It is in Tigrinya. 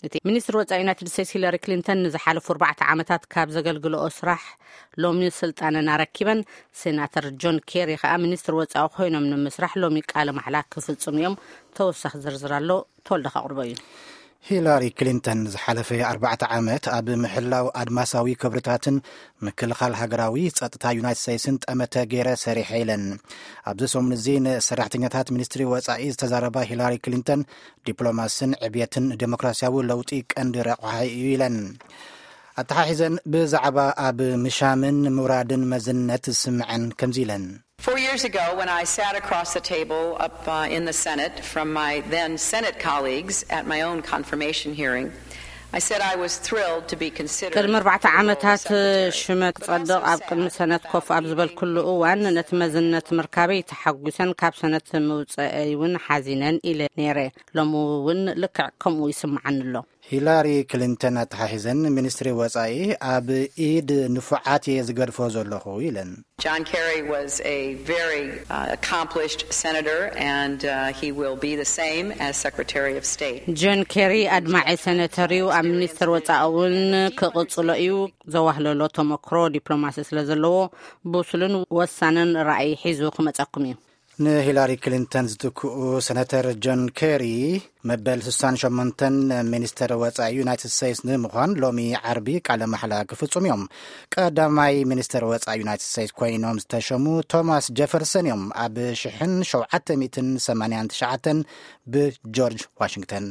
እቲ ሚኒስትር ወፃኢ ዩናይትድ ስቴትስ ሂለሪ ክሊንተን ንዝሓለፉ ኣርባዕተ ዓመታት ካብ ዘገልግልኦ ስራሕ ሎሚ ስልጣነን ኣረኪበን። ሴናተር ጆን ኬሪ ከዓ ሚኒስትር ወፃኢ ኮይኖም ንምስራሕ ሎሚ ቃለ ማሕላ ክፍፅሙ እዮም። ተወሳኺ ዝርዝር ኣሎ፣ ተወልደ ከቕርቦ እዩ። ሂላሪ ክሊንተን ዝሓለፈ ኣርባዕተ ዓመት ኣብ ምሕላው ኣድማሳዊ ክብርታትን ምክልኻል ሃገራዊ ጸጥታ ዩናይትድ ስቴትስን ጠመተ ገይረ ሰሪሐ ኢለን። ኣብዚ ሰሙን እዚ ንሰራሕተኛታት ሚኒስትሪ ወጻኢ ዝተዛረባ ሂላሪ ክሊንተን፣ ዲፕሎማስን ዕብየትን ዴሞክራሲያዊ ለውጢ ቀንዲ ረቋሒ እዩ ኢለን። ኣተሓሒዘን ብዛዕባ ኣብ ምሻምን ምውራድን መዝነት ዝስምዐን ከምዚ ኢለን። Four years ago, when I sat across the table up uh, in the Senate from my then Senate colleagues at my own confirmation hearing, I said I was thrilled to be considered. ቅድሚ ኣርባዕተ ዓመታት ሽመት ክጸድቕ ኣብ ቅድሚ ሰነት ኮፍ ኣብ ዝበልኩሉ እዋን ነቲ መዝነት ምርካበይ ተሓጒሰን ካብ ሰነት ምውፀአይ እውን ሓዚነን ኢለ ነይረ። ሎሚ እውን ልክዕ ከምኡ ይስምዓኒ ኣሎ። ሂላሪ ክሊንተን ኣተሓሒዘን፣ ሚኒስትሪ ወጻኢ ኣብ ኢድ ንፉዓት እየ ዝገድፎ ዘለኹ ኢለን። John Kerry was a very uh, accomplished senator, and uh, he will be the same as Secretary of State. ጆን ኬሪ ኣድማዒ ሰነተር እዩ። ኣብ ሚኒስትር ወጻኢ እውን ክቕጽሎ እዩ። ዘዋህለሎ ተመክሮ ዲፕሎማሲ ስለ ዘለዎ፣ ብሱልን ወሳንን ራእይ ሒዙ ክመጸኩም እዩ። ንሂላሪ ክሊንተን ዝትክኡ ሰነተር ጆን ኬሪ፣ መበል ስሳን ሸሞንተን ሚኒስተር ወጻኢ ዩናይትድ ስቴትስ ንምዃን ሎሚ ዓርቢ ቃለ ማሕላ ክፍጽሙ እዮም። ቀዳማይ ሚኒስተር ወጻኢ ዩናይትድ ስቴትስ ኮይኖም ዝተሸሙ ቶማስ ጀፈርሰን እዮም። ኣብ ሽሕን ሸውዓተ ሚእትን ሰማንያን ትሽዓተን ብጆርጅ ዋሽንግተን